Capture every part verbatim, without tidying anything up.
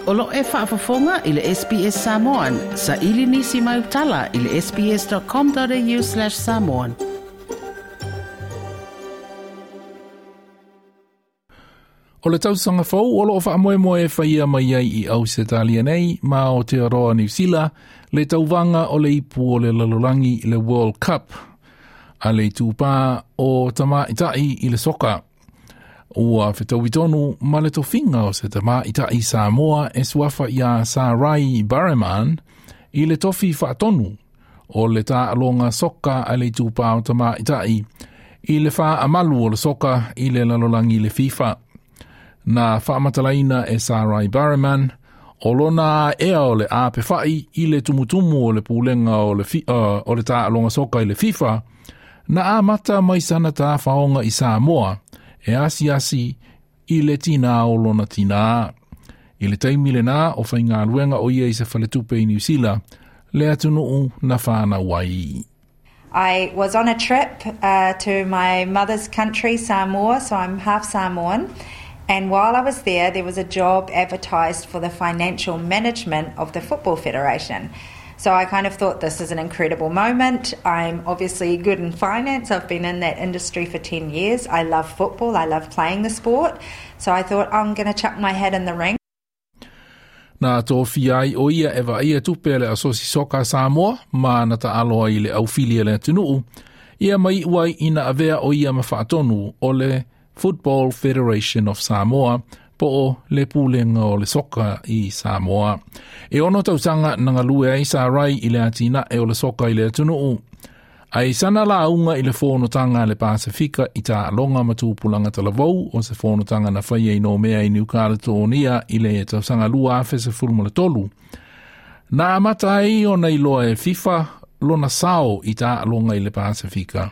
O lo e faafofoga i le S B S Samoan, sa ili nisi mai utala i le S B S dot com dot A U slash samoan. O le tausaga fou o loo faamoemoe e faia mai ai i Ausetalia nei ma Aotearoa Niu Sila le tauvaga o le ipu o le lalolagi, le World Cup a le itupā o tamaitaʻi i le soka. Ua fetaui ma le tofiga o se tamaitaʻi Samoa e suafa ia Sarai Bareman i le tofi faatonu o le taaloga soka a le itupā o tamaitaʻi i le faamalu o le soka i le lalolagi, le FIFA. Na faamatalaina e Sarai Bareman o lona ea o le apefaʻi i le tumutumu o le pulega o le, fi, uh, o le taaloga soka i le FIFA na amata mai sana tafaoga i Samoa e asiasi i le tinā o lona tinā. I le taimi lenā o faigaluega o ia i se faletupe i Niu Sila, le atunuu na whānau ai. I was on a trip uh, to my mother's country, Samoa, so I'm half Samoan. And while I was there, there was a job advertised for the financial management of the Football Federation. So I kind of thought, this is an incredible moment. I'm obviously good in finance. I've been in that industry for ten years. I love football. I love playing the sport. So I thought, I'm going to chuck my hat in the ring. Na tofia ai o ia e vaaia tupe le Asosi Soka Samoa ma na taalo ai le aufili a le atunuu ia mai uai ina avea o ia ma faatonu o le Football Federation of Samoa po o le pulega o le soka i Samoa. E ono tausaga na galue ai Sarai i le atinae o le soka i le atunuu. Ai sana lauga i le fonotaga a le Pasifika i taaloga ma tupulaga talavou, o se fonotaga na faia i Nomea i Niu Kaletonia i le tausaga lua afe sefulu ma le tolu. Na amata ai ona iloa e FIFA lona sao i taaloga i le Pasifika.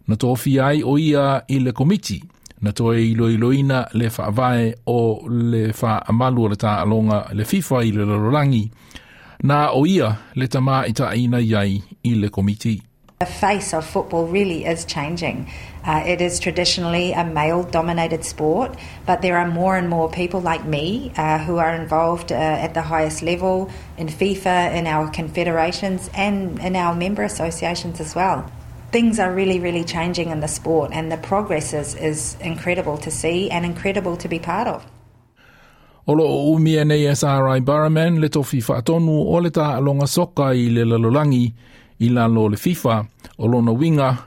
Na tofia ai o ia i le komiti na toe iloiloina le faavae o le faamalu o le taaloga le FIFA i le lalolagi. Na o ia le tamaitaʻi na iai i le komiti. The face of football really is changing. Uh, it is traditionally a male dominated sport, but there are more and more people like me uh, who are involved uh, at the highest level in FIFA, in our confederations, and in our member associations as well. Things are really, really changing in the sport, and the progress is, is incredible to see and incredible to be part of. O loo umia nei e Sarai Bareman le tofi faatonu o le taaloga soka i le lalolagi i lalo o le FIFA. O lona uiga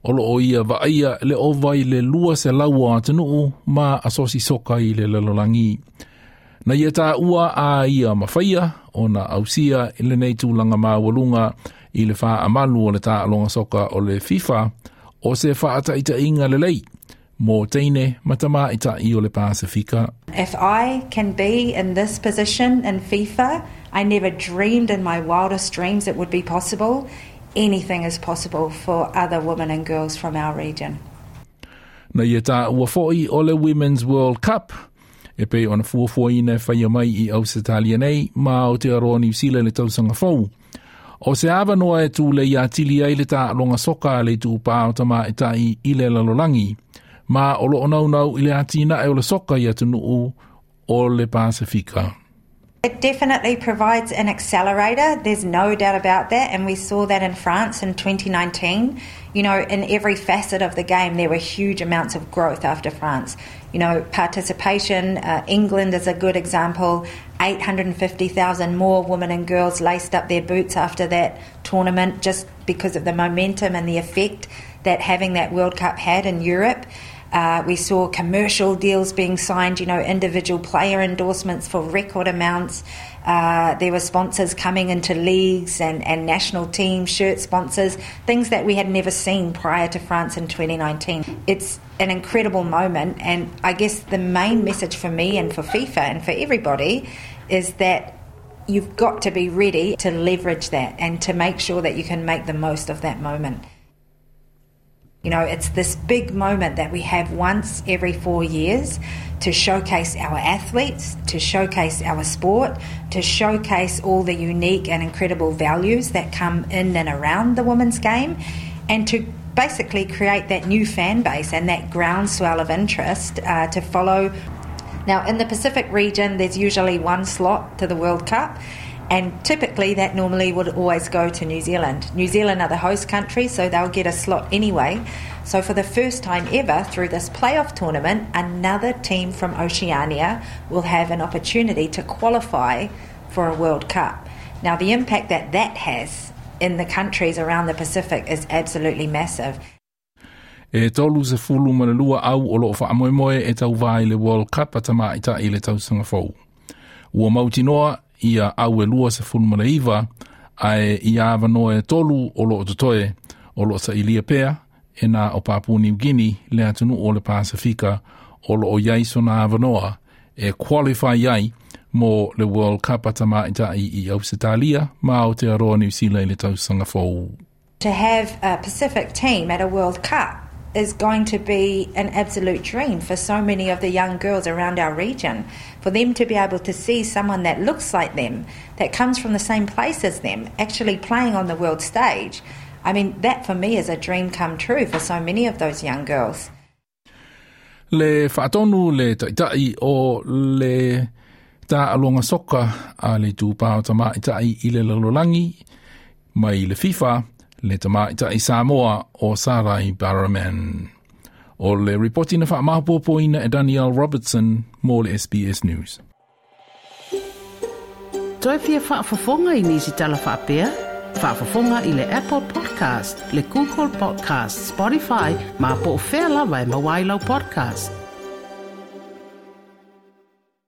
o loo ia vaaia le ova i le lua selau o atunuu ma asosi soka i le lalolagi. Na ia taua a ia mafaia ona ausia i lenei tulaga maualuga i le faamalu o le taaloga soka o le FIFA o se faataitaiga lelei mo teine ma tamaitaʻi o le Pasifika. If I can be in this position in FIFA, I never dreamed in my wildest dreams it would be possible. Anything is possible for other women and girls from our region. Na ia taua foʻi o le Women's World Cup e pei ona fuafuaina e faia mai i Ausetalia nei ma Aotearoa Niu Sila le tausaga fou. O se avanoa e tulei atili ai le taaloga soka a le itupā o tamaitaʻi i le lalolagi, ma o loo naunau i le atinae o le soka i atunuu o le Pasifika. It definitely provides an accelerator, there's no doubt about that, and we saw that in France in twenty nineteen. You know, in every facet of the game, there were huge amounts of growth after France. You know, participation, uh, England is a good example. eight hundred fifty thousand more women and girls laced up their boots after that tournament just because of the momentum and the effect that having that World Cup had in Europe. Uh, we saw commercial deals being signed, you know, individual player endorsements for record amounts. Uh, there were sponsors coming into leagues and, and national team shirt sponsors, things that we had never seen prior to France in twenty nineteen. It's an incredible moment, and I guess the main message for me and for FIFA and for everybody is that you've got to be ready to leverage that and to make sure that you can make the most of that moment. You know, it's this big moment that we have once every four years to showcase our athletes, to showcase our sport, to showcase all the unique and incredible values that come in and around the women's game, and to basically create that new fan base and that groundswell of interest uh, to follow. Now, in the Pacific region, there's usually one slot to the World Cup, and typically that normally would always go to New Zealand. New Zealand are the host country, so they'll get a slot anyway. So for the first time ever through this playoff tournament, another team from Oceania will have an opportunity to qualify for a World Cup. Now, the impact that that has in the countries around the Pacific is absolutely massive. E tolu sefulu ma le lua au o loo faamoemoe e tauvā i le World Cup a tamaitai i le tausaga fou. Ua mautinoa ia au e lua sefulu ma le iva, ae ia avanoa e tolu o loo totoe o loo sailia pea e na o Papua New Guinea le atunuu o le Pasifika o loo iai sona avanoa e qualify ai mo le World Cup a tamaitai i Ausetalia ma Aotearoa Niu Sila i le tausaga fou. To have a Pacific team at a World Cup is going to be an absolute dream for so many of the young girls around our region. For them to be able to see someone that looks like them, that comes from the same place as them, actually playing on the world stage. I mean, that for me is a dream come true for so many of those young girls. Le faatonu le taitai o le taaloga soka a le itupā o tamaitai i le lalolagi mai le FIFA le tamaitai Samoa o Sarai Barrowman. O le ripoti na faamaopoopoina e Danielle Robertson mo le S B S News. Toe fia faafofoga i nisi tala faapea? Faafofoga i le Apple Podcast, le Google Podcast, Spotify, ma po o fea lava e maua ai lau podcast.